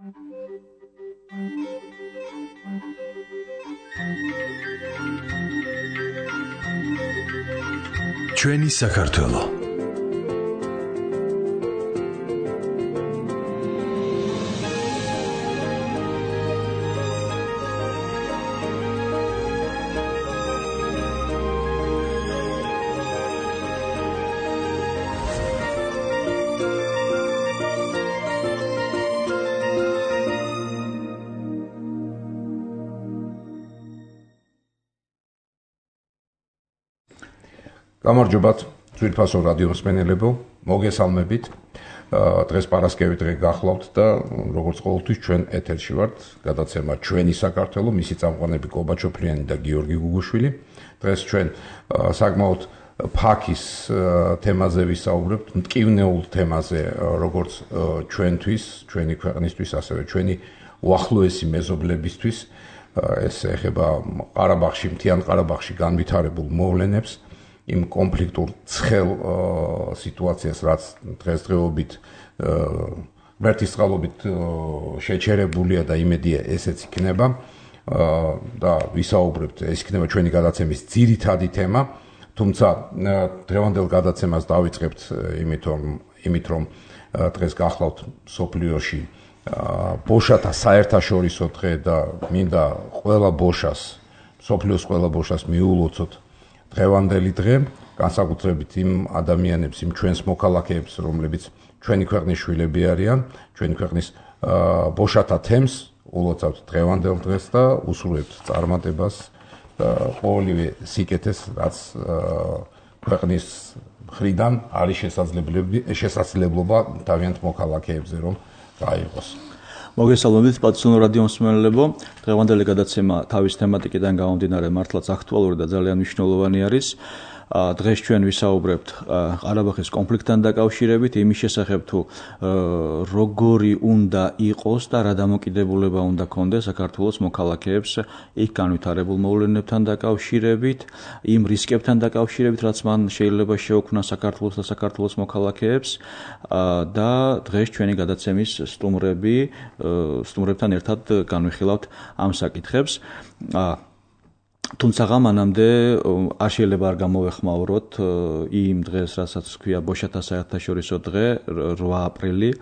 ჩვენი საქართველო. გამარჯობათ, ძვირფასო რადიო მსმენელებო, მოგესალმებით. დღეს პარასკევი დღე გახლავთ და როგორც ყოველთვის ჩვენ ეთერში ვართ, გადაცემა ჩვენი საქართველო, მისი წამყვანები კობა ჩოფლიანი და გიორგი გუგუშვილი. დღეს ჩვენ საკმაოდ ფაქის თემაზე ვისაუბრებთ, მტკივნეულ თემაზე, როგორც ჩვენთვის, ჩვენი ქვეყნისთვის, ასევე ჩვენი უახლოესი მეზობლებისთვის. ეს ეხება ყარაბაღში, მთიან ყარაბაღში განვითარებულ მოვლენებს. იმ კონფლიქტურ ცხელ სიტუაციას, რაც დღესდღეობით ვერტისწყალობით შეჩერებულია და იმედია ესეც იქნება და ვისაუბრებთ, ეს იქნება ჩვენი გადაცემის ძირითადი თემა, თუმცა დღევანდელ გადაცემას დავიწყებთ იმით რომ დღეს გახლავთ მსოფლიოში ბოშათა საერთაშორისო დღე და მინდა ყველა ბოშას, მსოფლიოს ყველა ბოშას მიულოცოთ დღევანდელი დღე, განსაკუთრებით იმ ადამიანებს, იმ ჩვენს მოქალაქეებს, რომლებიც ჩვენი ქვეყნის შვილები არიან, ჩვენი ქვეყნის ბოშათა თემს ულოცავთ დღევანდელ დღეს და უსურვებთ წარმატებას და ყოველივე სიკეთეს, რაც ქვეყნის მხრიდან არის შესაძლებლობა თავიანთ მოქალაქეებზე რომ გაიღოს. მოგესალმებით, პატრიოტულ რადიო მსმენელებო. დღევანდელი გადაცემა თავის თემატიკიდან გამომდინარე მართლაც აქტუალური და ძალიან მნიშვნელოვანი არის. დღეს ჩვენ ვისაუბრებთ ყარაბაღის კონფლიქტთან დაკავშირებით, იმის შესახებ თუ როგორი უნდა იყოს და რა დამოკიდებულება უნდა ქონდეს საქართველოს მოქალაქეებს იქ განვითარებულ მოვლენებთან დაკავშირებით, იმ რისკებთან დაკავშირებით, რაც მან შეიძლება შეექმნა საქართველოს და საქართველოს მოქალაქეებს და დღეს ჩვენი გადაცემის სტუმრებთან ერთად განვიხილავთ ამ საკითხებს. თუმცა მანამდე არ შეიძლება არ გამოვეხმაუროთ იმ დღეს, რასაც ქვია ბოშათა საერთაშორისო დღე, 8 აპრილი.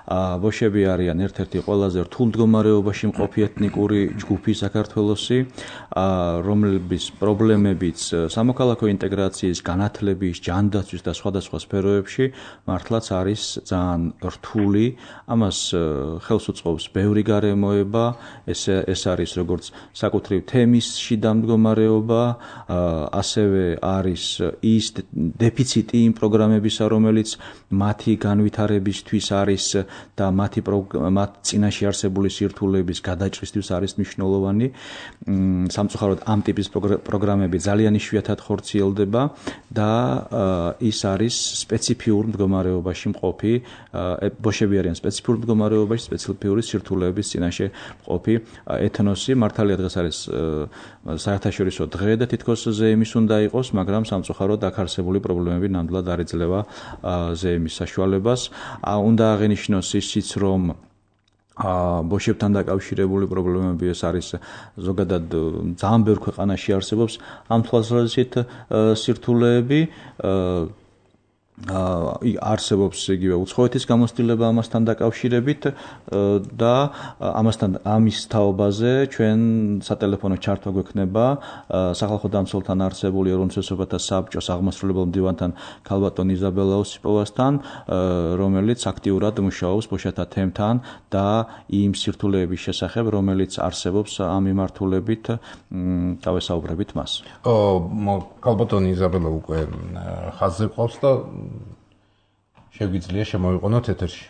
ბოშები არიან ერთ-ერთი ყველაზე რთულ მდგომარეობაში მყოფი ეთნიკური ჯგუფი საქართველოსი, რომლების პრობლემებიც სამოქალაქო ინტეგრაციის, განათლების, ჯანდაცვის და სხვადასხვა სფეროებში მართლაც არის ძალიან რთული. ამას ხელს უწყობს ბევრი გარემოება, ეს არის როგორც საკუთრივ თემის შიდა მდგომარეობა, ასევე არის ის დეფიციტი იმ პროგრამებისა, რომელიც მათი განვითარებისთვის არის და მათ წინაშე არსებული სირთულეების გადაჭრისთვის არის მნიშვნელოვანი. სამწუხაროდ ამ ტიპის პროგრამები ძალიან იშვიათად ხორციელდება და ის არის სპეციფიურ მდგომარეობაში მყოფი, ბოშები არიან სპეციფიურ მდგომარეობაში, სპეციფიური სირთულეების წინაშე მყოფი ეთნოსი. მართალია დღეს არის საერთაშორისო დღე და თითქოს ზეიმის უნდა იყოს, მაგრამ სამწუხაროდ აქ არსებული პრობლემები ნამდვილად არ იძლევა ზეიმის საშუალებას. უნდა აღინიშნოს ისიც, რომ ბოშებთან დაკავშირებული პრობლემები ეს არის ზოგადად ძალიან ბევრ ქვეყანაში არსებობს ამ თვალსაზრისით სირთულეები. არსებობს იგივე უცხოეთის გამოცდილება ამასთან დაკავშირებით და ამის თაობაზე ჩვენ სატელეფონო ჩართვა გვექნება სახალხო დამცველთან არსებული ეროვნულ საბჭოს აღმასრულებელ მდივანთან ქალბატონ იზაბელა ოსიპოვასთან, რომელიც აქტიურად მუშაობს ბოშათა თემთან და იმ სირთულეების შესახებ, რომელიც არსებობს ამ მიმართულებით, დავესაუბრებით მას. ქალბატონ იზაბელა უკვე ხაზზე ყავს და შეგვიძლია შემოვიყენოთ ეთერში.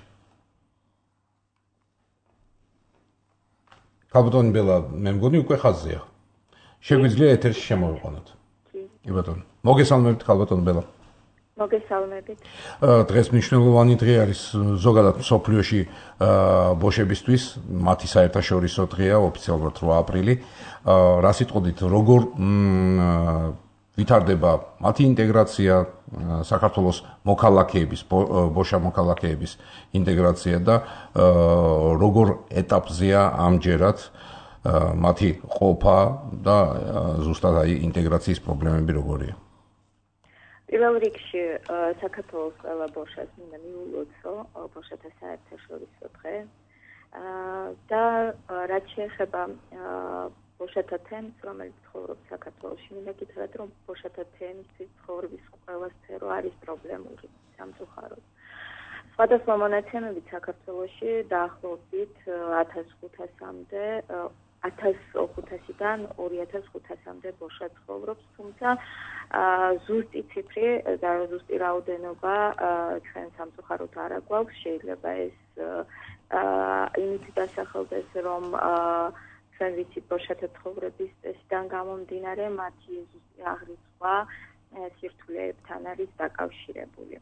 ქალბატონი ბელა, მე მგონი უკვე ხაზზეა. შეგვიძლია ეთერში შემოვიყენოთ. კი ბატონო. მოგესალმებით ქალბატონ ბელა. მოგესალმებით. დღეს მნიშვნელოვანი დღე არის ზოგადად მსოფლიოში ბოშებისთვის, მათი საერთაშორისო დღეა, ოფიციალურად 8 აპრილი. რა სიტყვით, როგორ ვითარდება მათი ინტეგრაცია, საქართველოს მოქალაქეების, ბოშა მოქალაქეების ინტეგრაცია და როგორ ეტაპზეა ამჯერად მათი ყოფა და ზუსტად აი ინტეგრაციის პრობლემები როგორია? პირველ რიგში საქართველოს ყველა ბოშას მინდა მიულოცო ბოშათა საერთაშორისო დღე და რაც შეეხება ბოშათა თემს, რომელიც ცხოვრობს საქართველოში, მინდა გითხრათ, რომ ბოშათა თემისთვის ცხოვრების ყველა სფერო არის პრობლემური სამწუხაროდ. სხვადასხვა მონაცემებით საქართველოში დაახლოებით 1500-მდე 1500-დან 2500-მდე ბოშა ცხოვრობს, თუმცა ზუსტი ციფრი და ზუსტი რაოდენობა ჩვენ სამწუხაროდ არ აგვაქვს. შეიძლება ეს იმით დასახელდეს, რომ ჩვენ ვიცით ბოშათა ცხოვრების წესიდან გამომდინარე მათი ზუსტი აღრიცხვა სირთულეებთან არის დაკავშირებული.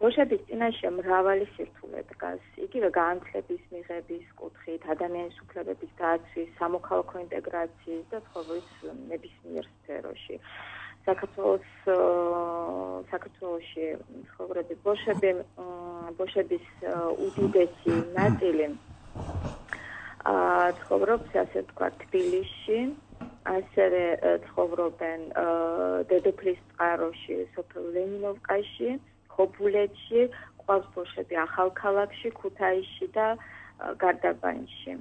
ბოშების წინაშე მრავალი სირთულე დგას, იგივე განათლების მიღების კუთხით, ადამიანის უფლებების დაცვის, სამოქალაქო ინტეგრაციის და ცხოვრების ნებისმიერ სფეროში. საქართველოში ცხოვრები ბოშების უდიდესი ნაწილი ცხოვრობს, ასე ვთქვათ, თბილისში, ასევე ცხოვრობენ დედოფლის წყაროში, სოფელ ლენინოვკაში, ხობულეთში, ყავს ბოშები ახალქალაქში, ქუთაისში და გარდაბანში.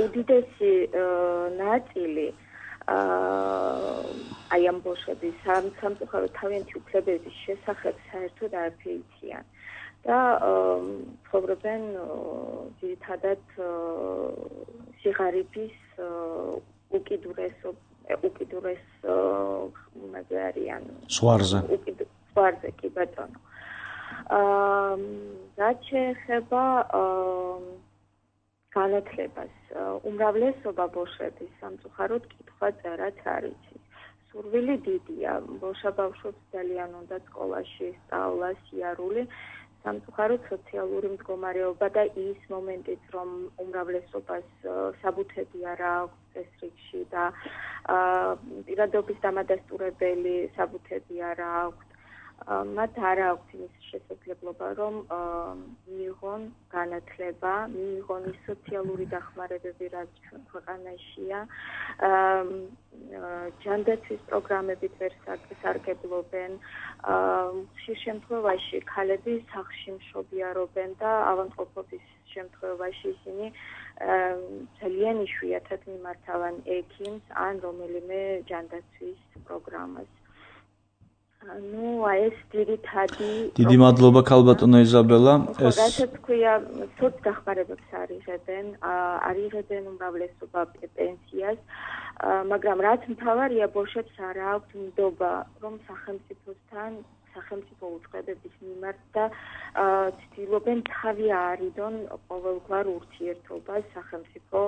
უდიდესი ნაწილი აი ამ ბოშების სამწუხაროდ თავიანთი უფლებების შესახებ საერთოდ არ ფეიციან და ცხოვრობენ ძირითადად სიღარიბის უკიდურეს არიან ზღვარზე კი ბატონო. რაც შეეხება განათლებას, უმრავლესობა ბოშების სამწუხაროდ კითხვა-წერაც არ იცის. სურვილი დიდია, ბოშა ბავშვებს ძალიან უნდა სკოლაში სწავლა, სიარული, სამწუხაროდ სოციალური მდგომარეობა და ის მომენტიც, რომ უმრავლესობას საბუთები არ აქვს ეს რიგში და პირადობის დამადასტურებელი საბუთები არ აქვს. მათ არ აქვს იმის შესაძლებლობა, რომ მიიღონ განათლება, მიიღონ ის სოციალური დახმარებები, რაც ჩვენ ქვეყანაშია. ჯანდაცვის პროგრამებით ვერ სარგებლობენ. ხშირ შემთხვევაში ქალები სახლში მშობიარობენ და ავადმყოფობის შემთხვევაში ისინი ძალიან იშვიათად მიმართავენ ექიმს ან რომელიმე ჯანდაცვის პროგრამას. ეს ძირითადი დიდი მადლობა ქალბატონო იზაბელა. რასაც ქვია, სოცდახმარებებს არიღებენ უმრავლესობა პენსიას, მაგრამ რაც მთავარია, ბოშებს არ აქვთ ნდობა, რომ სახელმწიფო უწყებების მიმართ და ცდილობენ თავი აარიდონ ყოველგვარ ურთიერთობას სახელმწიფო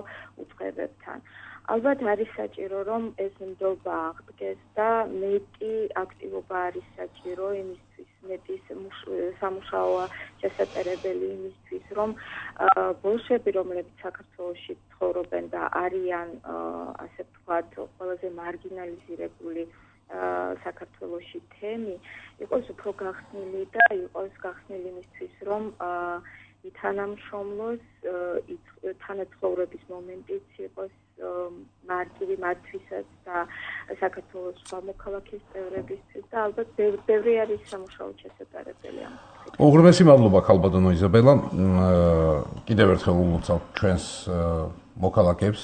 უწყებებთან. ალბათ არის საჭირო, რომ ეს ნდობა აღდგეს და მეტი აქტივობა არის საჭირო იმისთვის, მეტი სამუშაოა შესაძლებელი იმისთვის, რომ ბოშები, რომლებიც საქართველოში ცხოვრობენ და არიან, ასე ვთქვათ, ყველაზე მარგინალიზირებული საქართველოში თემი, იყოს უფრო გახსნილი და იყოს გახსნილი იმისთვის, რომ ითანამშრომლოს თანაცხოვრების მომენტიც იყოს მარტივი მათთვისაც და საქართველოს სხვა მოქალაქის წევრებისთვის და ალბათ ბევრი არის სამუშაო შესაძლებელი ამ. უღრმესი მადლობა ქალბატონო იზაბელა. კიდევ ერთხელ ულოცავთ ჩვენს მოქალაქეებს,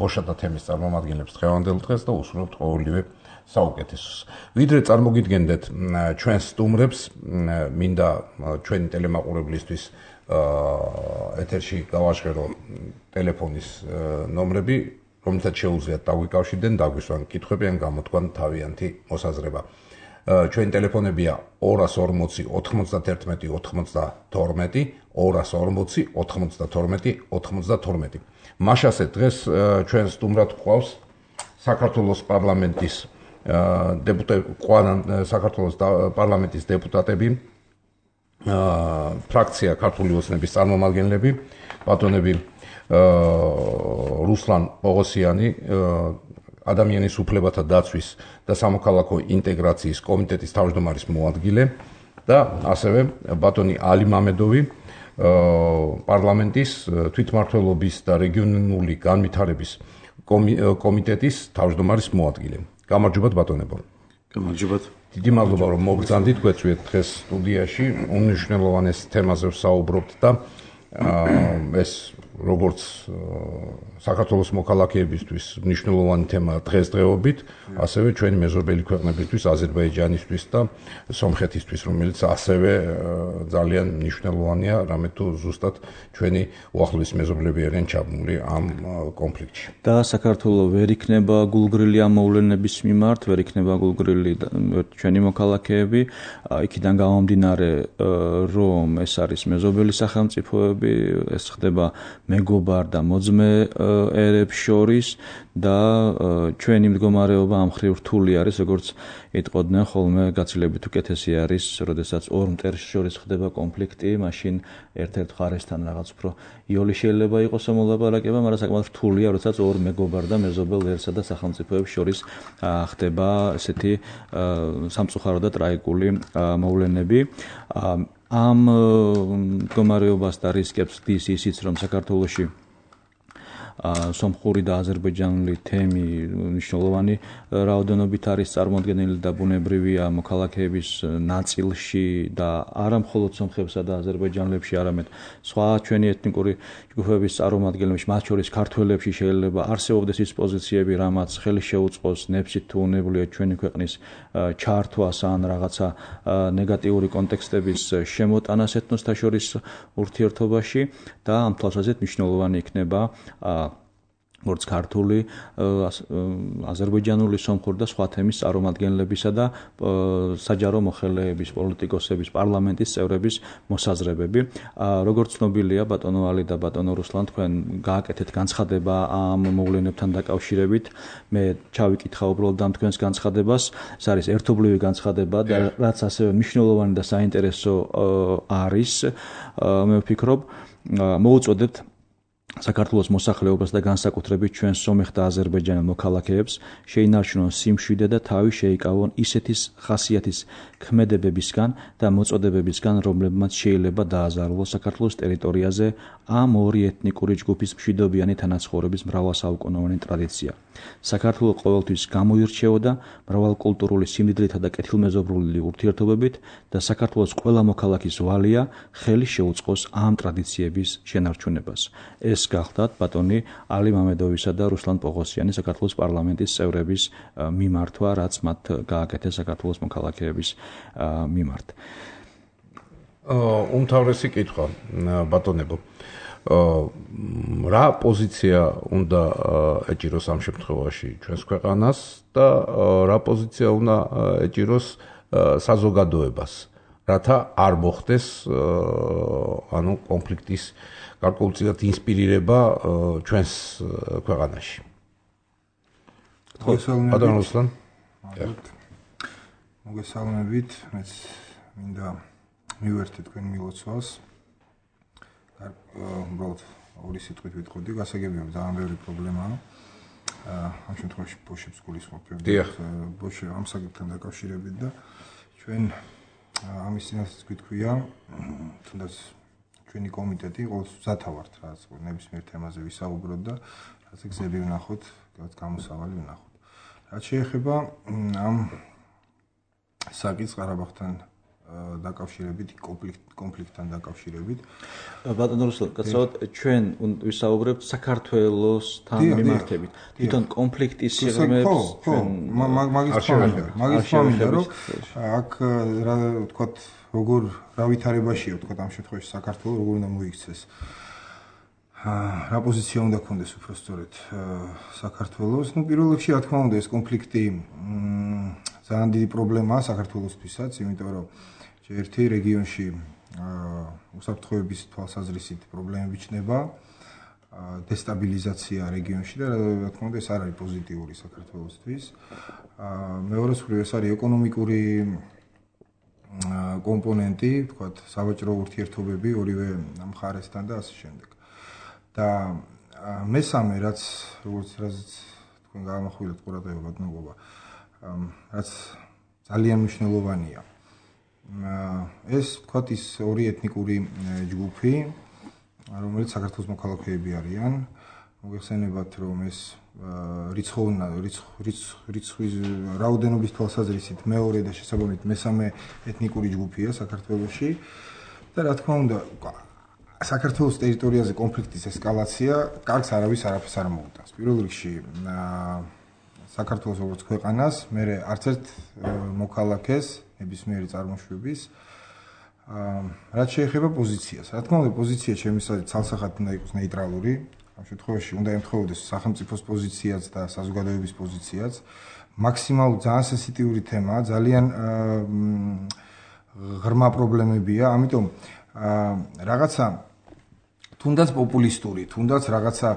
ბოშათა თემის წარმომადგენლებს დღევანდელ დღეს და უსურვებთ ყოველივე საუკეთესოს. ვიდრე წარმოგიდგენდეთ ჩვენს სტუმრებს, მინდა ჩვენი ტელემაყურებლისთვის ეთერში გავაჟღერო ტელეფონის ნომრები, რომლითაც შეუძლიათ დაგვიკავშირდნენ, დაგვისვან კითხვები ან გამოთქვან თავიანთი მოსაზრება. ჩვენი ტელეფონებია 240 91 92, 240 92 92. მაშასე დღეს ჩვენ სტუმრად გვყავს საქართველოს პარლამენტის საქართველოს პარლამენტის დეპუტატები, ფრაქცია ქართული ოცნების წარმომადგენლები, ბატონები რუსლან პოღოსიანი ადამიანის უფლებათა დაცვის და სამოქალაქო ინტეგრაციის კომიტეტის თავმჯდომარის მოადგილე და ასევე ბატონი ალი მამედოვი პარლამენტის თვითმმართველობის და რეგიონული განვითარების კომიტეტის თავმჯდომარის მოადგილე. გამარჯობათ ბატონებო. გამარჯობათ. დიდი მადლობა რომ მოგზანდით გვეწვიეთ დღეს სტუდიაში უნიშნელოვანეს თემაზე ვსაუბრობთ და ეს როგორც საქართველოს მოქალაქეებისთვის მნიშვნელოვანი თემაა დღესდღეობით, ასევე ჩვენი მეზობელი ქვეყნებისთვის, აზერბაიჯანისთვის და სომხეთისთვის, რომელიც ასევე ძალიან მნიშვნელოვანია, რამე თუ ზუსტად ჩვენი უახლოესი მეზობლები არიან ჩაბმული ამ კონფლიქტში. და საქართველოს ვერ იქნება გულგრილი ამ მოვლენების მიმართ, ვერ იქნება გულგრილი ჩვენი მოქალაქეები, იქიდან გამომდინარე, რომ ეს არის მეზობელი სახელმწიფოები, ეს ხდება მეგობარ და მოძმე ერებს შორის და ჩვენი მდგომარეობა ამ მხრივ რთული არის, როგორც იტყოდნენ ხოლმე, გაცილებით უკეთესი არის, როდესაც ორ მტერს შორის ხდება კონფლიქტი, მაშინ ერთ-ერთ მხარესთან რაღაც უფრო იოლი შეიძლება იყოს მოლაპარაკება, მაგრამ საკმაოდ რთულია, როდესაც ორ მეგობარ და მეზობელ ერსა და სახელმწიფოებს შორის ხდება ესეთი სამწუხარო და ტრაგიკული მოვლენები. ამ მდგომარეობას და რისკებს დის ისიც, რომ საქართველოში სომხური და აზერბაიჯანული თემი მნიშვნელოვანი რაოდენობით არის წარმოდგენილი და ბუნებრივია მოქალაქეების ნაწილში და არა მხოლოდ სომხებსა და აზერბაიჯანელებში, არამედ სხვა ჩვენი ეთნიკური ჯგუფების წარმომადგენლებში, მათ შორის ქართველებში შეიძლება არსებობდეს ის პოზიციები, რამაც ხელი შეუწყოს ნებსით თუ უნებლიეთ ჩვენი ქვეყნის ჩართვას ან რაღაცა ნეგატიური კონტექსტების შემოტანას ეთნოსთა შორის ურთიერთობაში და ამ თვალსაზრისით მნიშვნელოვანი იქნება როგორც ქართული, აზერბაიჯანული, სომხური და სხვა თემის წარმომადგენლებისა და საჯარო მოხელეების, პოლიტიკოსების, პარლამენტის წევრების მოსაზრებები. როგორც ცნობილია, ბატონო ალი და ბატონო რუსლან, თქვენ გააკეთეთ განცხადება ამ მოვლენებთან დაკავშირებით. მე ჩავიკითხა უბრალოდ ამ თქვენს განცხადებას. ეს არის ერთობლივი განცხადება და რაც ასევე მნიშვნელოვანი და საინტერესო არის, მე ვფიქრობ, მოუწოდებთ საქართველოს მოსახლეობას და განსაკუთრებით ჩვენს სომეხ და აზერბაიჯანელ მოქალაქეებს შეინარჩუნონ სიმშვიდე და თავი შეიკავონ ისეთის ხასიათის ქმედებებისგან და მოწოდებებისგან, რომლებმაც შეიძლება დააზარალოს საქართველოს ტერიტორიაზე ამ ორი ეთნიკური ჯგუფის მშვიდობიანი თანაცხოვრების მრავალსაუკუნოვანი ტრადიცია. საქართველოს ყოველთვის გამოირჩეოდა მრავალკულტურული სიმდიდრეთა და კეთილმეზობლური ურთიერთობებით და საქართველოს ყველა მოქალაქის ვალია ხელი შეუწყოს ამ ტრადიციების შენარჩუნებას. ეს გახლდათ ბატონი ალი მამედოვისა და რუსლან პოღოსიანის საქართველოს პარლამენტის წევრების მიმართვა, რაც მათ გააკეთეს საქართველოს მოქალაქეების მიმართ. უმთავრესი კითხვა, ბატონებო. რა პოზიცია უნდა ეჭიროს ამ შემთხვევაში ჩვენს ქვეყანას და რა პოზიცია უნდა ეჭიროს საზოგადოებას, რათა არ მოხდეს ანუ კონფლიქტის გარკვეულწილად ინსპირირება ჩვენს ქვეყანაში. ბატონო რუსლან. მოგესალმებით, მეც მინდა მივერთე თქვენ მილოცვას. უბრალოდ ორი სიტყვით ვიტყოდი, გასაგებია ძალიან ბევრი პრობლემაა. ამ შემთხვევაში ბოშებს გულისხმობ, ბოშე ამ საკითხთან დაკავშირებით და ჩვენ ამის წინასაც გვიტყვია, თუნდაც ჩვენი კომიტეტი ყოველთვის მზათა ვართ, რაც ნებისმიერ თემაზე ვისაუბროთ და რაც გზები ვნახოთ, რაც გამოსავალი ვნახოთ. რაც შეეხება ამ საკითხს ყარაბაღთან დაკავშირებით, კონფლიქტთან დაკავშირებით. ბატონო რუსლან, გასაუბროთ ჩვენ ვისაუბრებთ საქართველოსთან მიმართებით. თვითონ კონფლიქტის სიღრმეებს ჩვენ მაგის ფამინდა, რომ აქ რა ვთქვათ, როგორ რა ვითარებაშია, ვთქვათ, ამ შემთხვევაში საქართველოს როგორ უნდა მოიქცეს. რა პოზიცია უნდა ქონდეს უფრო სწორედ საქართველოს. პირველ რიგში, რა თქმა უნდა, ეს კონფლიქტი ძალიან დიდი პრობლემაა საქართველოსთვისაც, იმიტომ რომ ერთი რეგიონში უსაფრთხოების თვალსაზრისით პრობლემები ჩნდება, დესტაბილიზაცია რეგიონში და რა თქმა უნდა ეს არ არის პოზიტიური საქართველოსთვის. მეორე მხრივ ეს არის ეკონომიკური კომპონენტი, ვთქვათ, სავაჭრო ურთიერთობები ორივე მხარესთან და ასე შემდეგ. და მესამე რაც თქვენ გაამახვილეთ ყურადღება ბატონობა, რაც ძალიან მნიშვნელოვანია. ეს ვთქვათ ის ორი ეთნიკური ჯგუფი, რომელიც საქართველოს მოქალაქეები არიან. მოგეხსენებათ, რომ ეს რიცხვის რაოდენობის თვალსაზრისით მეორე და შესაბამისად მესამე ეთნიკური ჯგუფია საქართველოში და რა თქმა უნდა საქართველოს ტერიტორიაზე კონფლიქტის ესკალაცია კარგს არაფერს არ მოუტანს. პირველ რიგში საქართველოს როგორც ქვეყანას, მერე არც ერთ მოქალაქეს ნებისმიერი წარმოშვების რაც შეეხება პოზიციას. რა თქმა უნდა, პოზიცია შემისადეთ ცალსახად უნდა იყოს ნეიტრალური. ამ შემთხვევაში უნდა ემთხვეოდეს სახელმწიფოს პოზიციაც და საზოგადოების პოზიციაც. მაქსიმალურად ძალიან სენსიტიური თემაა, ძალიან ღრმა პრობლემებია, ამიტომ რაღაცა თუნდაც პოპულისტური, თუნდაც რაღაცა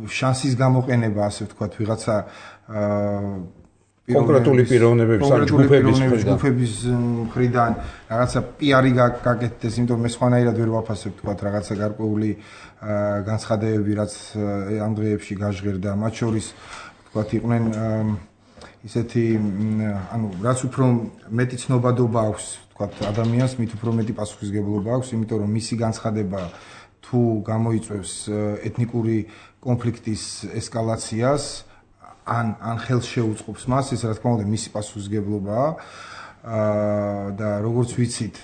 შანსის გამოყენება, ასე ვთქვათ, ვიღაცა კონკრეტული პიროვნებების ან ჯგუფების მხრიდან რაღაცა პიარი გაკეთდეს, იმიტომ მე სხვანაირად ვერ ვაფასებ, ვთქვათ, რაღაცა გარკვეული განცხადებები, რაც ამ დღეებში გაჟღერდა, მათ შორის, ვთქვათ, იყვნენ ისეთი, ანუ რაც უფრო მეტი ცნობადობა აქვს, ვთქვათ, ადამიანს, მით უფრო მეტი პასუხისმგებლობა აქვს, იმიტომ რომ მისი განცხადება თუ გამოიწვევს ეთნიკური კონფლიქტის ესკალაციას, ან ხელს შეუწყობს მას, ეს რა თქმა უნდა მისი პასუხისმგებლობაა. და როგორც ვიცით,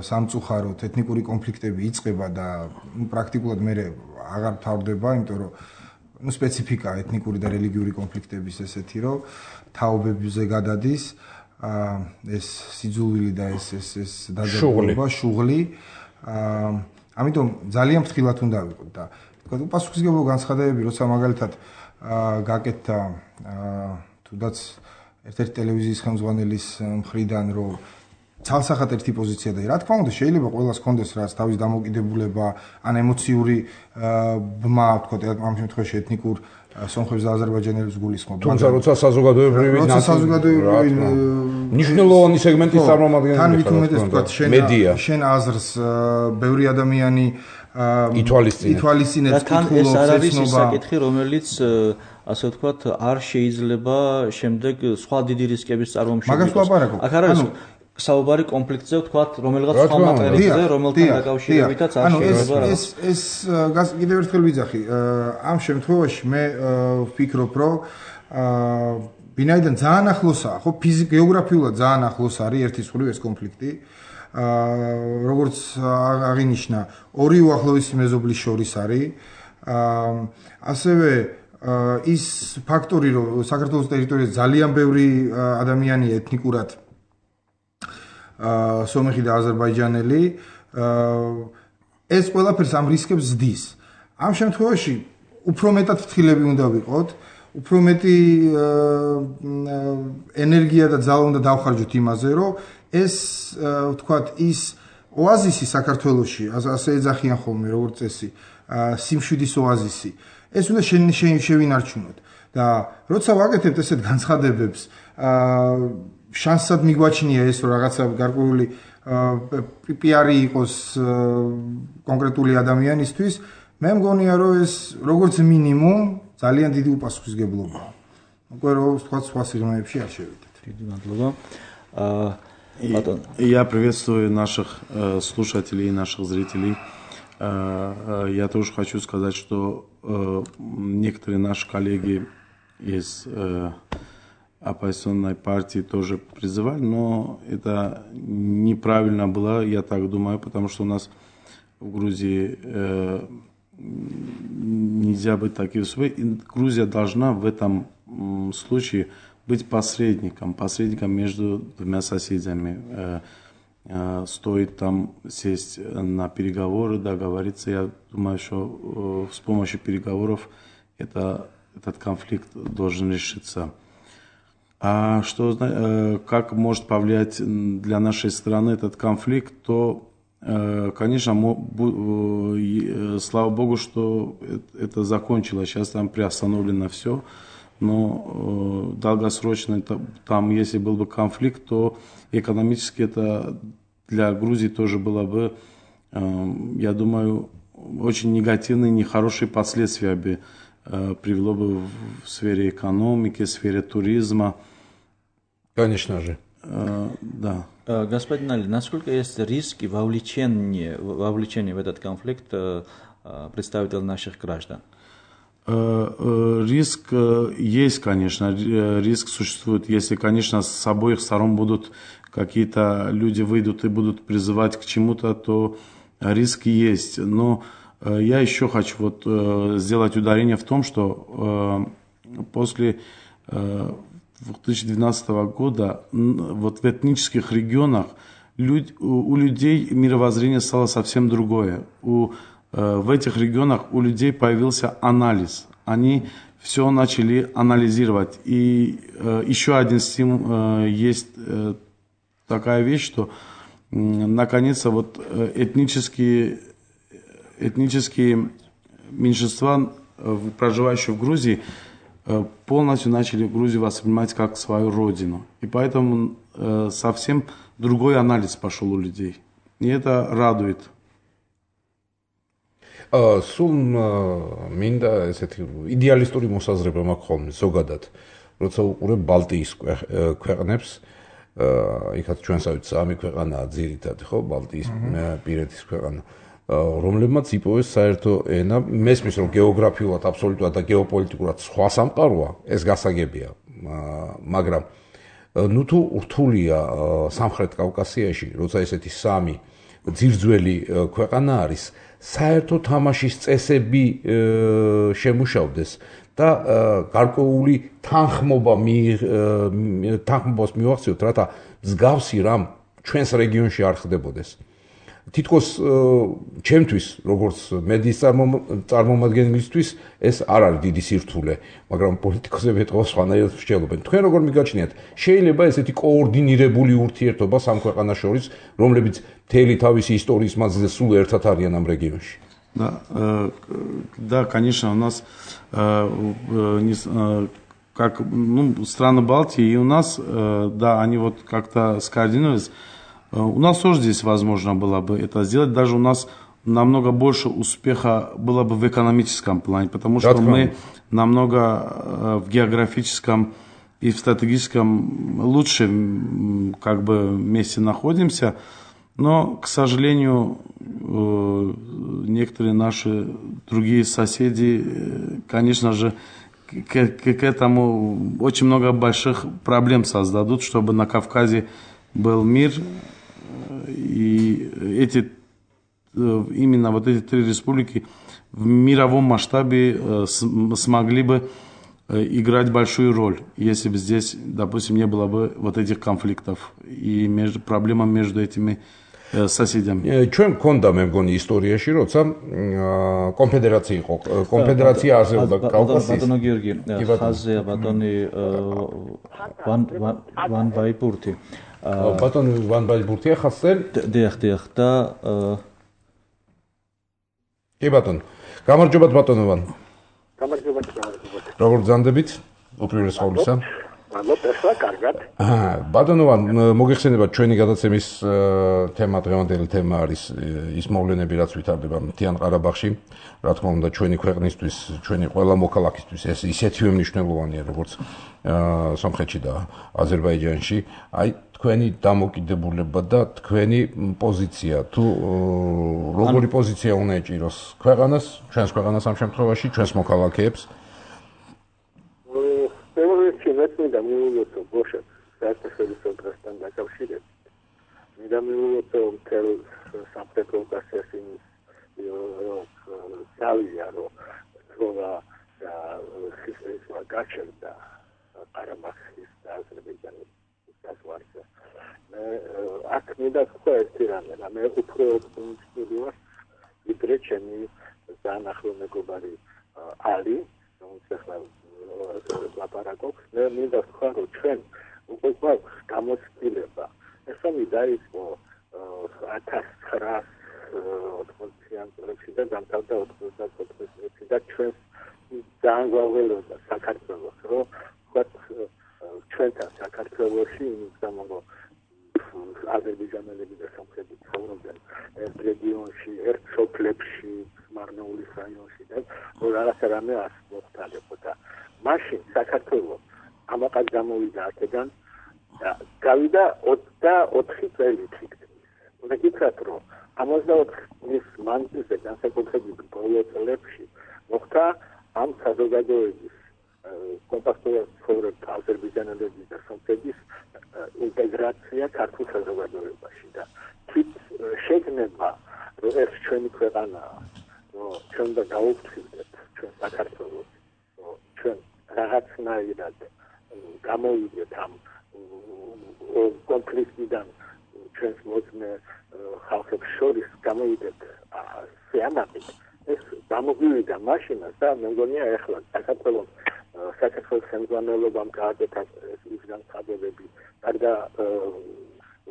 სამწუხაროდ ეთნიკური კონფლიქტები იწყება და პრაქტიკულად მე აღარ თავდება, იმიტომ რომ სპეციფიკა ეთნიკური და რელიგიური კონფლიქტების ესეთი, რომ თაობებზე გადადის ეს სიძულვილი და ეს დაძაბულობა, შუღლი. ამიტომ ძალიან ფრთხილად უნდა ვიყოთ და თქვა უპასუხისმგებლო განცხადებები, როცა მაგალითად გაკეთდა თუნდაც ერთ-ერთი ტელევიზიის ხელმძღვანელის მხრიდან, რომ ცალსახად ერთი პოზიცია და რა თქმა უნდა შეიძლება ყველას ჰქონდეს რაც თავის დამოკიდებულება ან ემოციური ბმა, ვთქვათ, ამ შემთხვევაში ეთნიკურ სომხებს და აზერბაიჯანელებს გულისხმობ. თუმცა როცა საზოგადოებრივი მნიშვნელოვანი სეგმენტის წარმომადგენელი თან ვითომეტეს, ვთქვათ, შენ აზრს ბევრი ადამიანი ითვალისწინებს კითხულობს, ეს არ არის ის საკითხი, რომელიც ასე ვთქვათ, არ შეიძლება შემდეგ სხვა დიდი რისკების წარმომშობ მაგას ვაპარაკობ. აქ არ არის საუბარი კონფლიქტზე, ვთქვათ, რომელიღაც სხვა მატერიაზე, რომელთან დაკავშირებითაც არ შეიძლება რა. ეს კიდევ ერთხელ ვიძახი, ამ შემთხვევაში მე ვფიქრობ, რომ ვინაიდან ძალიან ახლოსაა, ხო, გეოგრაფიულად ძალიან ახლოს არის ერთის მხრივ ეს კონფლიქტი. როგორც აღინიშნა, ორი უახლოესი მეზობლის შორის არის. ასევე ის ფაქტორი, რომ საქართველოს ტერიტორიაზე ძალიან ბევრი ადამიანი ეთნიკურად სომეხი და აზერბაიჯანელი, ეს ყველაფერს ამ რისკებს ზდის. ამ შემთხვევაში უფრო მეტად ფრთხილები უნდა ვიყოთ, უფრო მეტი ენერგია და ძალა უნდა დავხარჯოთ იმაზე, რომ ეს ვთქვათ ის ოაზისი საქართველოში, ასე ეძახიან ხოლმე როგორც წესი, სიმშვიდის ოაზისი, ეს უნდა შევინარჩუნოთ და როცა ვაკეთებთ ესეთ განცხადებებს, შანსად მიგვაჩნია ეს რომ რაღაცა გარკვეული პიარი იყოს კონკრეტული ადამიანისთვის, მე მგონია რომ ეს როგორც მინიმუმ ძალიან დიდი უპასუხისმგებლობაა. უკვე რომ ვთქვათ სხვა სიღრმეებში არ შევიდეთ. დიდი მადლობა. Я приветствую наших слушателей и наших зрителей. Я тоже хочу сказать, что некоторые наши коллеги из оппозиционной партии тоже призывали, но это неправильно было, я так думаю, потому что у нас в Грузии нельзя быть таким. Грузия должна в этом случае быть посредником между двумя соседями. Стоит там сесть на переговоры, договориться. Я думаю, что с помощью переговоров этот конфликт должен решиться. А что, как может повлиять для нашей страны этот конфликт, то, конечно, слава Богу, что это закончилось. Сейчас там приостановлено все. Но долгосрочно, там, если был бы конфликт, то экономически это для Грузии тоже было бы, я думаю, очень негативные, нехорошие последствия бы привело бы в сфере экономики, в сфере туризма. Конечно же. Да. Господин Али, насколько есть риски вовлечения в этот конфликт представителей наших граждан? Риск есть, конечно, риск существует. Если, конечно, с обоих сторон будут какие-то люди выйдут и будут призывать к чему-то, то риск есть. Но я еще хочу сделать ударение в том, что после 2012 года в этнических регионах у людей мировоззрение стало совсем другое. В этих регионах у людей появился анализ. Они все начали анализировать. И еще один стимул есть такая вещь, что наконец-то этнические меньшинства, проживающие в Грузии, полностью начали Грузию воспринимать как свою родину. И поэтому совсем другой анализ пошел у людей. И это радует. სულ მინდა ესეთი იდეალისტური მოსაზრება მაქვს ხოლმე ზოგადად, როცა უყურებ ბალტიის ქვეყნებს, იქაც ჩვენსავით სამი ქვეყანაა ძირითადად, ხო, ბალტიის პირეთის ქვეყანა, რომლებმაც იპოვეს საერთო ენა, მესმის რომ გეოგრაფიულად აბსოლუტურად და გეოპოლიტიკურად სხვა სამყაროა, ეს გასაგებია, მაგრამ ნუ თუ რთულია სამხრეთ კავკასიაში, როცა ესეთი სამი ძირძველი ქვეყანა არის, საერთო თამაშის წესები შემუშავდეს და გარკვეული თანხმობას მივახციოთ, რათა მსგავსი რამ ჩვენს რეგიონში არ ხდებოდეს. თითქოს ჩემთვის, როგორც მედიის წარმომადგენლისთვის, ეს არ არის დიდი სირთულე, მაგრამ პოლიტიკოსები ეთქვა სხვანაირად მსჯელობენ. თქვენ როგორ მიგაჩნიათ, შეიძლება ესეთი კოორდინირებული ურთიერთობა სამ ქვეყანას შორის, რომლებიც მთელი თავისი ისტორიის მანძილზე სულ ერთად არიან ამ რეგიონში? Да, конечно, у нас как страны Балтии и у нас, да, они как-то скоординировались. У нас тоже здесь возможно было бы это сделать. Даже у нас намного больше успеха было бы в экономическом плане, потому что мы намного в географическом и в стратегическом лучшем месте находимся. Но, к сожалению, некоторые наши другие соседи, конечно же, к этому очень много больших проблем создадут, чтобы на Кавказе был мир. И именно эти три республики в мировом масштабе смогли бы играть большую роль, если бы здесь, допустим, не было бы этих конфликтов и проблем между этими соседями. ჩვენ მქონდა მე მგონი ისტორიაში, როცა კონფედერაცია იყო, კონფედერაცია არსებობდა კავკასიის. ბატონო გიორგი, ხაზია ბატონი ვან ბაიბურთი. ბატონი ვან ბაიბურთია ხასზე? დიახ და კი ბატონო. გამარჯობათ ბატონო ვან. გამარჯობათ. როგორ გძანდებით? უპირველეს ყოვლისა. ესა კარგად. ბატონო ვან, მოგეხსენებათ ჩვენი გადაცემის თემა, დღევანდელი თემა არის ის მოვლენები, რაც ვითარდება მთიან ყარაბაღში. რა თქმა უნდა, ჩვენი ქვეყნისთვის, ჩვენი ყველა მოქალაქისთვის ეს ისეთივე მნიშვნელოვანია, როგორც სომხეთში და აზერბაიჯანში. აი თქვენი დამოკიდებულება და თქვენი პოზიცია, თუ როგორი პოზიცია უნდა ეჭიროს ქვეყანას, ჩვენს ქვეყანას ამ შემთხვევაში, ჩვენს მოქალაქეებს? და მიულოცო ბოშებს საერთაშორისო დრასთან დაკავშირებით. და მიულოცო მთელ სამხრეთ კავკასიის სავია რომ ხისევა გაჩერდა ყარაბაღის და აზერბაიჯანის საზღვარზე. აქ მინდა თქვა ერთი რამე, მე უფრო ოპტიმისტური ვარ, ვიდრე ჩემი ძალიან მეგობარი ალი, რომელიც ახლა ლაპარაკობს, მე მინდა ვთქვა, რომ ჩვენ უკვე გვაქვს გამოცდილება. ეს ამი დაიწყო 1980-იან წლებში და დამთავრდა 94 წლებში და ჩვენ ძალიან გვაველოდა საქართველოს, რომ ვთქვათ ჩვენთან საქართველოში იმის გამო აზერბაიჯანელები და სომხები ცხოვრობდნენ ერთ რეგიონში, ერთ სოფლებში, მარნეულის რაიონში და რაღაცა რამე მოხდებოდა. მაშინ საქართველოს ამაყად გამოვიდა აქედან და გავიდა 24 წელი თითქმის. უნდა გითხრათ, რომ 64 წლის მანძილზე განსაკუთრებით ბოლო წლებში მოხდა ამ საზოგადოების კომპაქტურად ცხოვრებდა აზერბაიჯანელების და სომხების ინტეგრაცია ქართულ საზოგადოებაში და თვით შეგნება რომ ეს ჩვენი ქვეყანაა, რომ ჩვენ და გავუფრთხილდეთ ჩვენ საქართველოს, რომ ჩვენ რაღაცნაირად გამოვიდეთ ამ კონფლიქტიდან ჩვენს მოწმე ხალხებს შორის გამოვიდეთ სიამაყით. ეს გამოგვივიდა მაშინაც და მე მგონია ეხლა საქართველოს ხელმძღვანელობამ გააკეთა ის განცხადებები და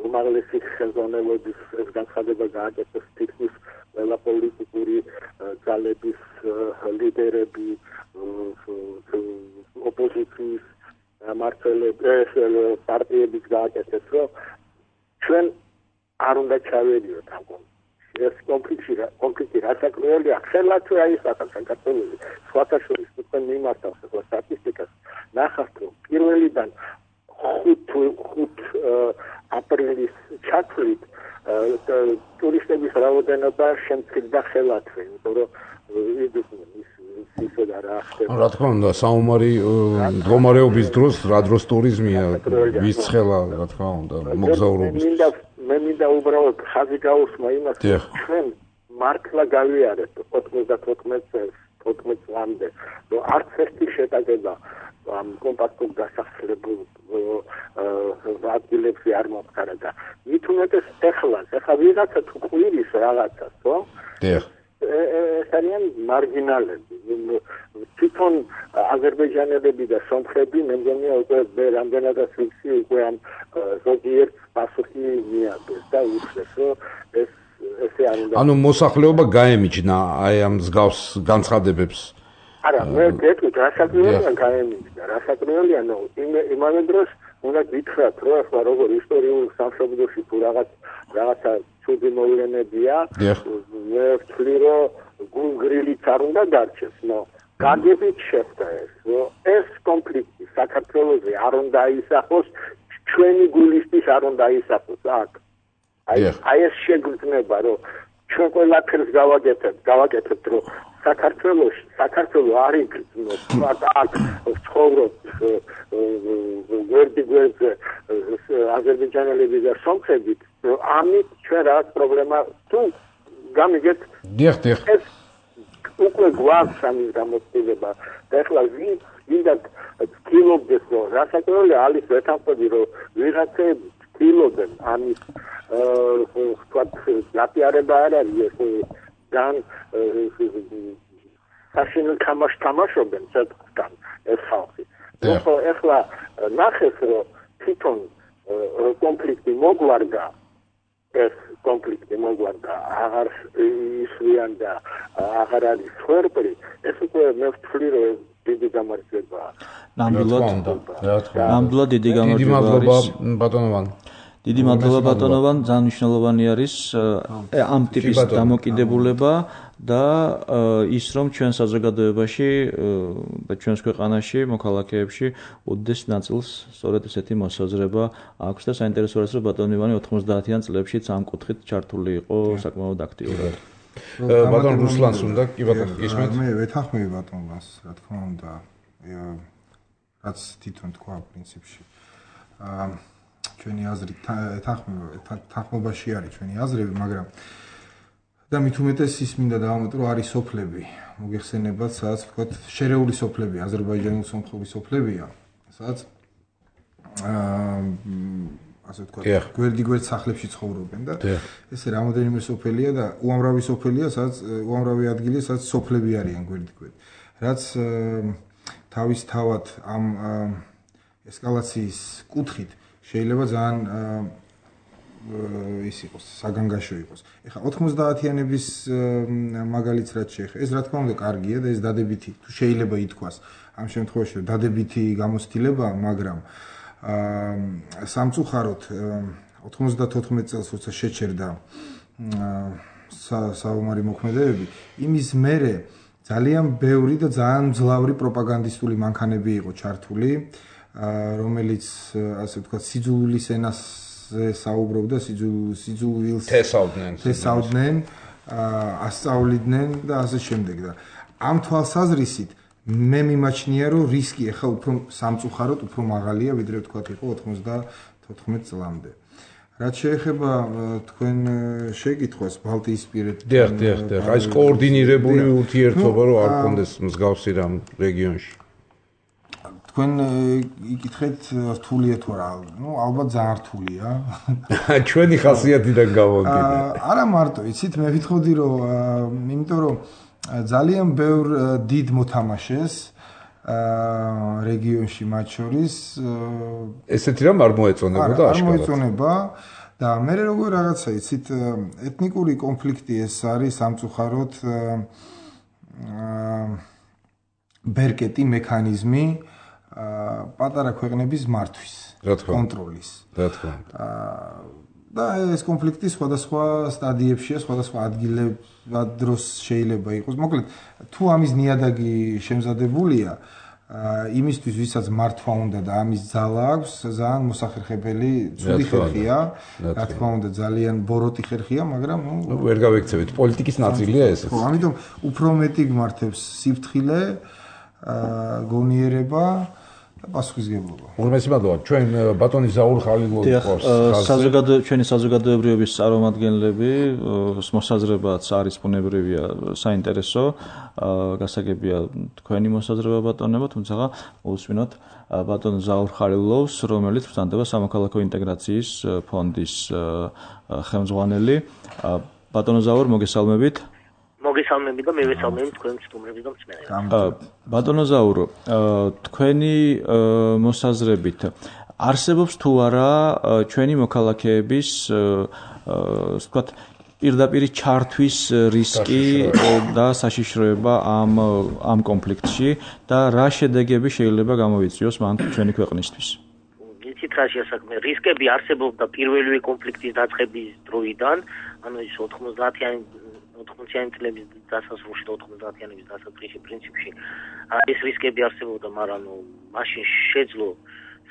უმაღლესი ხელმძღვანელობის განცხადება გააკეთეს თითქმის ყველა პოლიტიკური ძალების ლიდერები, ოპოზიციის მმართველები, პარტიების გააკეთეს, რომ ჩვენ არ უნდა ჩავედიოთ ამ ეს კონფლიქტი რასაკვირველია, ხელად აიხსნა საქართველოს სხვათა შორის თქვენ მიმართავს ახლა სტატისტიკას, ნახავთ რომ პირველიდან 5 აპრილის ჩათვლით ტურისტების რაოდენობა შემცირდა ხელათვე, იმიტომ რომ ისე და რა ხდება. რა თქმა უნდა, საომარი მდგომარეობის დროს რა დროს ტურიზმია ვისცხელა, რა თქმა უნდა, მოგზაურობის. მე მინდა უბრალოდ ხაზი გაუსმა იმას, ჩვენ მართლა გავიარეთ 94 წლამდე, რომ არც ერთი შეტაკება ამ კომპაქტურ დასახლებულ ადგილებში არ მომხდარა და მით უმეტეს ეხლა ვიღაცა თუ ყვირის რაღაცას, ხო? ეს არიან მარგინალები. თვითონ აზერბაიჯანელები და სომხები მე მგონია უკვე რამდენადაც ვიცი უკვე ამ ზოგიერთ პასუხი მიაგეს და უშვეს, რომ ესე არ უნდა. ანუ მოსახლეობა გაემიჯნა აი ამ მსგავს განცხადებებს. არა, მე გეტყვით, რასაკვირველია გაემიჯნა, რასაკვირველია, იმავე დროს უნდა გითხრათ, რომ ახლა როგორ ისტორიულ სამშობლოში თუ რაღაცა ცუდი მოვლენებია, მე ვთვლი, რომ გულგრილიც არ უნდა დარჩეს, გაგებით შეხვდა ეს, რომ ეს კონფლიქტი საქართველოზე არ უნდა აისახოს, ჩვენი გულისთვის არ უნდა აისახოს აქ. აი ეს შეგრძნება, რომ ჩვენ ყველაფერს გავაკეთებთ, რომ საქართველო არ იგრძნობს, აქ ცხოვრობს გვერდზე აზერბაიჯანელები და სომხები, ამით ჩვენ რაღაც პრობლემა თუ გამიგეთ. ეს უკვე გვაქვს ამის გამოცდილება და ახლა ვინდა ცდილობდეს, რომ რასაკვირველია არის ვეთანხმები, რომ ვიღაცები ცდილობენ ამის ვთქვათ გაპიარება არ არის ეს ძალიან საშინელ თამაშს თამაშობენ ცოტა ეს ხალხი. ეხლა ნახეს, რომ თვითონ კონფლიქტი მოგვარდა, აღარ ისვიან და აღარ არის ხერპრი, ეს უკვე მე ვთვლი, რომ დიდი გამარჯვებაა. ნამდვილად დიდი გამარჯვება არის ბატონოვან. დიდი მადლობა ბატონოვან, ძალიან მნიშვნელოვანი არის ამ ტიპის დამოკიდებულება და ის რომ ჩვენ საზოგადოებაში და ჩვენს ქვეყანაში, მოქალაქეებში უდიდეს ნაწილს სწორედ ესეთი მოსაზრება აქვს და საინტერესოა რომ ბატონოვანი 90-იან წლებშიც ამ კუთხით ჩართული იყო საკმაოდ აქტიურად. ბატონ რუსლანს უნდა კი ბატონო გისმენთ? მე ვეთანხმები ბატონობას, რა თქმა უნდა, რაც თვითონ თქვა პრინციპში. ჩვენი აზრით თანხმობაში არის ჩვენი აზრები, მაგრამ და მით უმეტეს ის მინდა დავამატო, რომ არის სოფლები, მოგეხსენებათ, სადაც ვთქვათ, შერეული სოფლები, აზერბაიჯანული სომხური სოფლებია, სადაც ასე ვთქვათ, გვერდ სახლებში ცხოვრობენ და ესე რამოდენიმე სოფელია და უამრავი სოფელია, სადაც უამრავი ადგილია, სადაც სოფლები არიან გვერდ. რაც თავისთავად ამ ესკალაციის კუთხით შეიძლება ძალიან ის იყოს, საგანგაშო იყოს. ეხლა 90-იანების მაგალითს რაც შეეხება, ეს რა თქმა უნდა კარგია და ეს დადებითი, თუ შეიძლება ითქვას ამ შემთხვევაში დადებითი გამოცდილებაა, მაგრამ სამწუხაროდ 94 წელს როცა შეჩერდა საომარი მოქმედებები, იმის მერე ძალიან ბევრი და ძალიან მძლავრი პროპაგანდისტული მანქანები იყო ჩართული, რომელიც ასე ვთქვათ, სიძულვილის ენაზე საუბრობდა, სიძულვილს თესავდნენ, ასწავლიდნენ და ასე შემდეგ და ამ თვალსაზრისით მე მიმაჩნია, რომ რისკი ახლა უფრო სამწუხაროდ უფრო მაღალია, ვიდრე ვთქვათ იყო 94 წლამდე. რაც შეეხება თქვენ შეკითხვას ბალტიისპირეთთან. დიახ, აი ეს კოორდინირებული ურთიერთობა რო არ კონდეს მსგავსი რამ რეგიონში. თქვენ იკითხეთ რთულია თუ არა? ნუ ალბათ ძალიან რთულია. ჩვენი ხასიათიდან გამომდინარე. არა მარტო, იცით, მე ვიტყოდი რომ იმიტომ რომ ძალიან ბევრ დიდ მოთამაშეს რეგიონში მათ შორის ესეთი რამ არ მოეწონებოდა აშკარად. არ მოეწონება და მე როგორ რაღაცა იცით ეთნიკური კონფლიქტი ეს არის სამწუხაროდ ბერკეტი მექანიზმი პატარა ქვეყნების მართვის, კონტროლის. რა თქმა უნდა. და ეს კონფლიქტი სხვადასხვა სტადიებშია, სხვადასხვა ადგილად დროს შეიძლება იყოს. მოკლედ, თუ ამის ნიადაგი შემზადებულია, იმისთვის, ვისაც მართვა უნდა და ამის ძალა აქვს, ძალიან მოსახერხებელი, ცუდი ხერხია, რა თქმა უნდა, ძალიან ბოროტი ხერხია, მაგრამ ნუ ვერ გავექცევით, პოლიტიკის ნაწილია ესეც. ხო, ამიტომ უფრო მეტი გმართებს სიფრთხილე, გონიერება პასუხისგებლობა. უღმესი მადლობა. ჩვენ ბატონი ზაურ ხალილოვი ყავს. ჩვენი საზოგადოებრივების წარმომადგენლები, მოსაზრებაც არის ბუნებრივია, საინტერესო, გასაგებია თქვენი მოსაზრება ბატონებო, თუმცა უსვინოთ ბატონ ზაურ ხალილოვს, რომელიც ვრცელდება სამოქალაქო ინტეგრაციის ფონდის ხელმძღვანელი. ბატონო ზაურ, მოგესალმებით. მოგესალმები და მე ვესალმები თქვენ სტუმრებს და მსმენელებს. ბატონო ზაურო, თქვენი მოსაზრებით არსებობს თუ არა ჩვენი მოქალაქეების ვთქვათ პირდაპირ ჩართვის რისკი და საშიშროება ამ კონფლიქტში და რა შედეგები შეიძლება გამოვიწვიოს მან ჩვენი ქვეყნისთვის? იცით რა შეასაქმე რისკები არსებობდა პირველივე კონფლიქტის დაწყების დროიდან, ანუ ის 90-იანი წლების დასასრულში და 90-იანების დასაწყისში პრინციპში ეს რისკები არსებობდა, მაგრამ მაშინ შეძლო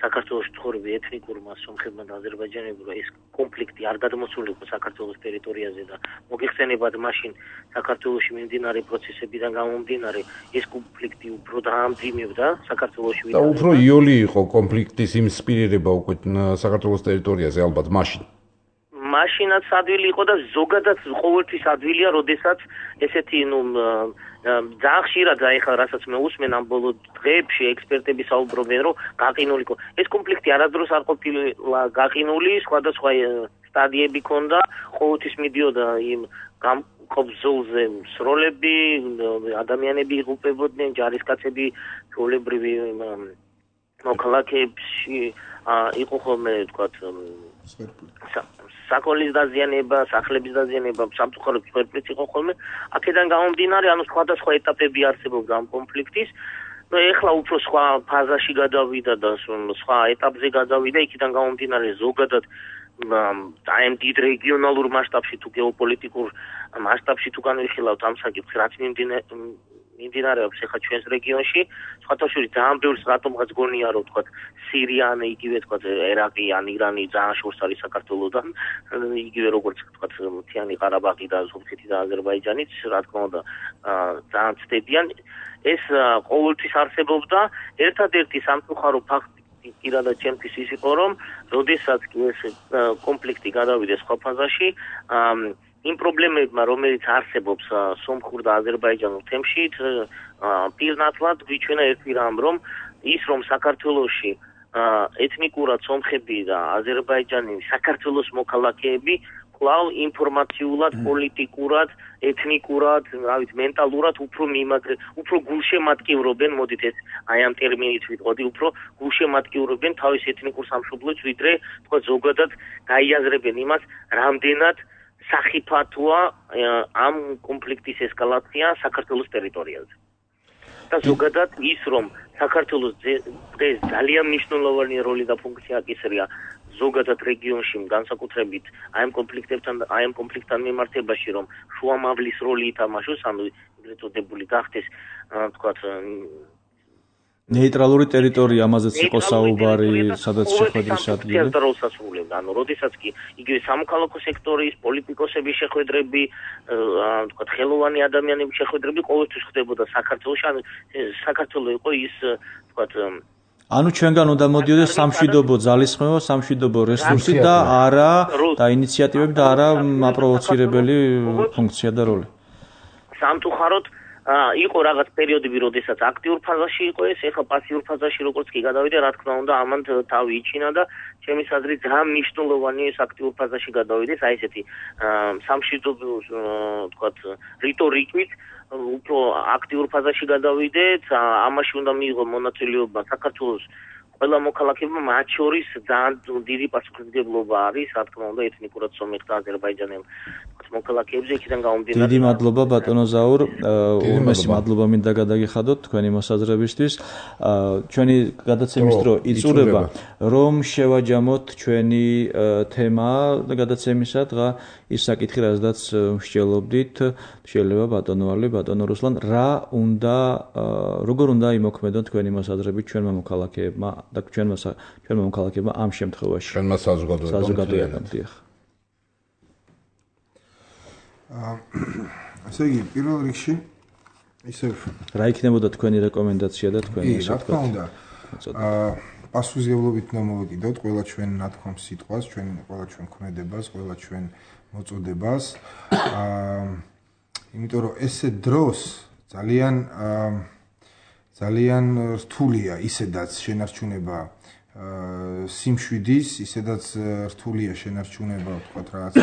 საქართველოს ცხოვრები ეთნიკურმა სომხებმა და აზერბაიჯანელებმა ეს კონფლიქტი არ გადმოსულიყო საქართველოს ტერიტორიაზე და მოგეხსენებათ მაშინ საქართველოში მიმდინარე პროცესებიდან გამომდინარე ეს კონფლიქტი უფრო დაამძიმებდა საქართველოში და უფრო იოლი იყო კონფლიქტის იმ სპირირება უკვე საქართველოს ტერიტორიაზე ალბათ მაშინაც ადვილი იყო და ზოგადად ყოველთვის ადვილია, როდესაც ესეთი ძალიან ხშირად ეხლა რასაც მე უსმენ ამ ბოლო დღეებში ექსპერტები საუბრობენ, რომ გაყინული იყო. ეს კონფლიქტი არასდროს არ ყოფილა გაყინული, სხვადასხვა სტადიები ჰქონდა, ყოველთვის მიდიოდა იმ გამყობზოლზე სროლები, ადამიანები იღუპებოდნენ, ჯარისკაცები ჩვეულებრივი მოქალაქეებში იყო ხოლმე, ვთქვათ, საკოლის დაზიანება, სახლების დაზიანება, სამწუხაროდ სვერპლიც იყო ხოლმე. აქედან გამომდინარე, ანუ სხვადასხვა ეტაპები არსებობდა ამ კონფლიქტის. ეხლა უფრო სხვა ფაზაში გადავიდა და სხვა ეტაპზე გადავიდა, იქიდან გამომდინარე ზოგადად აი ამ დიდ რეგიონალურ მასშტაბში თუ გეოპოლიტიკურ მასშტაბში თუ განვიხილავთ ამ საკითხს, რაც მიმდინარეობს ახლა ჩვენს რეგიონში, სხვათა შორის ძალიან ბევრს რატომღაც გონია, რომ თქვა სირია ან იგივე თქვა ერაყი ან ირანი ძალიან შორს არის საქართველოსთან, იგივე როგორც თქვა მთიანი ყარაბაღი და სომხეთი და აზერბაიჯანიც, რა თქმა უნდა, ძალიან ცდებიან. ეს ყოველთვის არსებობდა, ერთადერთი სამწუხარო ფაქტი პირადად ჩემთვის ის იყო, რომ როდესაც ეს კონფლიქტი გადავიდა სხვა ფაზაში, იმ პრობლემებმა, რომელიც არსებობს სომხურ და აზერბაიჯანურ თემში, პირნათლად გვიჩვენა ერთი რამ, რომ ის რომ საქართველოში ეთნიკურად სომხები და აზერბაიჯანი საქართველოს მოქალაქეები კვლავ ინფორმაციულად, პოლიტიკურად, ეთნიკურად, მენტალურად უფრო გულშემატკივრობენ, მოდით ეს აი ამ ტერმინით ვიტყოდი, უფრო გულშემატკივრობენ თავის ეთნიკურ სამშობლოს, ვიდრე თქვა ზოგადად გაიაზრებენ იმას, რამდენად სახიფათოა ამ კონფლიქტის ესკალაცია საქართველოს ტერიტორიაზე. და ზოგადად ის რომ საქართველოს დღეს ძალიან მნიშვნელოვანი როლი და ფუნქცია აკისრია ზოგადად რეგიონში განსაკუთრებით აი ამ კონფლიქტთან მიმართებაში რომ შუამავლის როლი ითამაშოს, ანუ ეგრეთ წოდებული გახდეს თქვათ ნეიტრალური ტერიტორია, ამაზეც იყო საუბარი, სადაც შეხვედრის ადგილი. ანუ როდესაც კი იგივე სამოქალაქო სექტორის პოლიტიკოსების შეხვედრები, თქვათ ხელოვანი ადამიანების შეხვედრები ყოველთვის ხდებოდა საქართველოში, ანუ საქართველო იყო ის, თქვათ ანუ ჩვენგან უნდა მოდიოდეს სამშვიდობო ძალისხმევა, სამშვიდობო რესურსი და არა და ინიციატივები და არა აპროვოცირებელი ფუნქცია და როლი. სამწუხაროდ იყო რაღაც პერიოდები, როდესაც აქტიურ ფაზაში იყო ეს, ეხლა პასიურ ფაზაში როგორც კი გადავიდა, რა თქმა უნდა, ამან თავი იჩინა და ჩემის აზრით ძალიან მნიშვნელოვანი ეს აქტიურ ფაზაში გადავიდეს, აი ესეთი სამშვიდობო, თქვათ, რიტორიკით უფრო აქტიურ ფაზაში გადავიდეთ, ამაში უნდა მიიღო მონაწილეობა საქართველოს ყველა მოქალაქეებმა, მათ შორის ძალიან დიდი პასუხისმგებლობა არის, რა თქმა უნდა, ეთნიკურად სომეხ და აზერბაიჯანელ მოქალაქეებზე იქიდან გამომდინარე. დიდი მადლობა ბატონო ზაურ, უმეტესი მადლობა მინდა გადაგიხადოთ თქვენი მოსაზრებისთვის. ჩვენი გადაცემის დრო იწურება, რომ შევაჯამოთ ჩვენი თემა გადაცემისა, დღა ის საკითხი, რაზედაც მსჯელობდით, შეიძლება ბატონო ალი, ბატონო რუსლან, როგორ უნდა იმოქმედონ თქვენი მოსაზრებით ჩვენმა მოქალაქეებმა და ჩვენმა მოქალაქეებმა ამ შემთხვევაში. ჩვენმა საზოგადოებამ. ასე იგი, პირველ რიგში ისევ რა იქნებოდა თქვენი რეკომენდაცია და თქვენი რა თქმა უნდა, პასუხისმგებლობით უნდა მოვეკიდოთ ყველა ჩვენ ნათქვამ სიტყვას, ყველა ჩვენ ქმედებას, ყველა ჩვენ მოწოდებას. იმიტომ რომ ესე დროს ძალიან რთულია ისედაც შენარჩუნება სიმშვიდის, ისედაც რთულია შენარჩუნება, ვთქვათ, რაღაც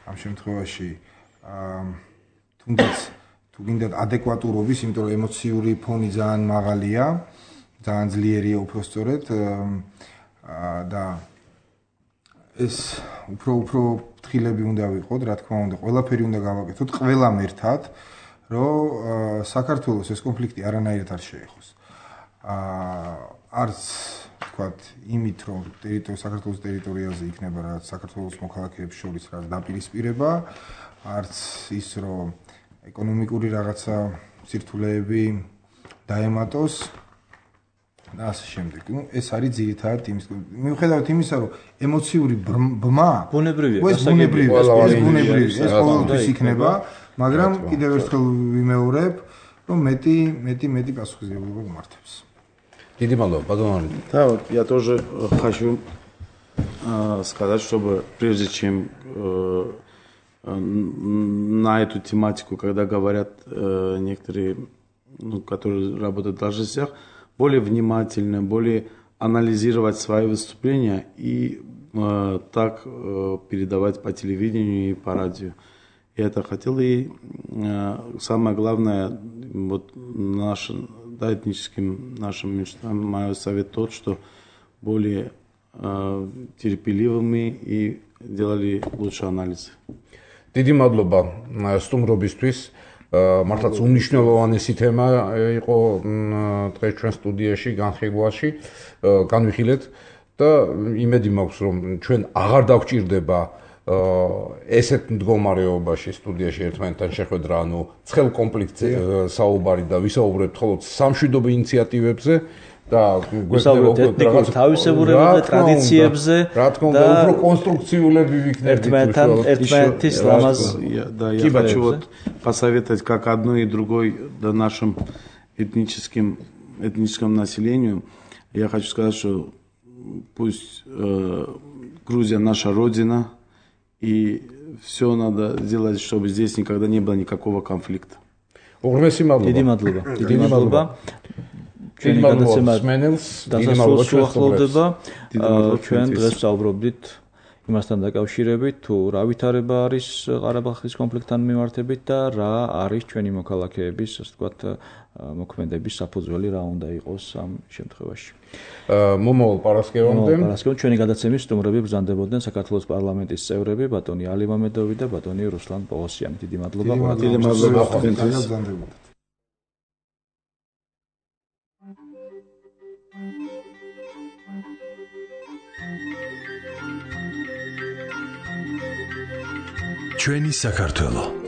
ამ შემთხვევაში თუნდაც თუ გინდათ ადეკვატურობის, იმიტომ რომ ემოციური ფონი ძალიან მაღალია, ძალიან ძლიერია უпростоრედ და ეს უფრო ფრთხილები უნდა ვიყოთ, რა თქმა უნდა, ყველაფერი უნდა გავაკეთოთ ყველამ ერთად, რომ საქართველოს ეს კონფლიქტი არანაირად არ შეეხოს. არც ვთქვათ, იმით, რომ საქართველოს ტერიტორიაზე იქნება რაღაც საქართველოს მოქალაქეებს შორის რაღაც დაპირისპირება, არც ის, რომ ეკონომიკური რაღაცა სირთულეები დაემატოს და ასე შემდეგ. ეს არის ძირითადად იმის, მიუხედავად იმისა, რომ ემოციური ბმა ბუნებრივია, ეს ყოველთვის იქნება, მაგრამ კიდევ ერთხელ ვიმეორებ, რომ მეტი პასუხისმგებლობა გმართებს. Დიდი მადლობა, ბატონო. Да, вот я тоже хочу сказать, чтобы прежде чем на эту тематику, когда говорят некоторые, которые работают в должностях, более внимательно, более анализировать свои выступления и так передавать по телевидению и по радио. Я это хотел, и самое главное, вот этническим нашим меньшинствам, мой совет тот, что более терпеливыми и делали лучше анализы. დიდი მადლობა სტუმრობისთვის. მართლაც უნიშნელოვანესი თემა იყო დღეს ჩვენ სტუდიაში, განხილვაში, განვიხილეთ და იმედი მაქვს, რომ ჩვენ აღარ დაგვჭირდება ესეთ მდგომარეობაში სტუდიაში ერთმანეთთან შეხვედრა, ანუ ცხელ კონფლიქტზე საუბარი და ვისაუბრებთ მხოლოდ სამშვიდობო ინიციატივებზე და გვესაუბრებთ ეთნიკურ თავისებურებებზე, ტრადიციებზე და უფრო კონსტრუქციულები ვიქნებით ერთმანეთის ლამაზ. Да, я хочу вот посоветовать как одной и другой да, нашим этническому населению. Я хочу сказать, что пусть Грузия наша родина, и все надо сделать, чтобы здесь никогда не было никакого конфликта. დიდი მადლობა. ჩვენი გადაცემა დასასრულს უახლოვდება. ჩვენ დღეს ვსაუბრობდით იმასთან დაკავშირებით, თუ რა ვითარება არის ყარაბაღის კონფლიქტთან მიმართებით და რა არის ჩვენი მოქალაქეების, ასე ვთქვათ, მოქმედების საფუძველი, რა უნდა იყოს ამ შემთხვევაში. მომავალ პარასკევამდე ჩვენი გადაცემის სტუმრები ბრძანდებოდნენ საქართველოს პარლამენტის წევრები, ბატონი ალი მამედოვი და ბატონი რუსლან პოღოსიანი. დიდი მადლობა. დიდი მადლობა. ჩვენი საქართველო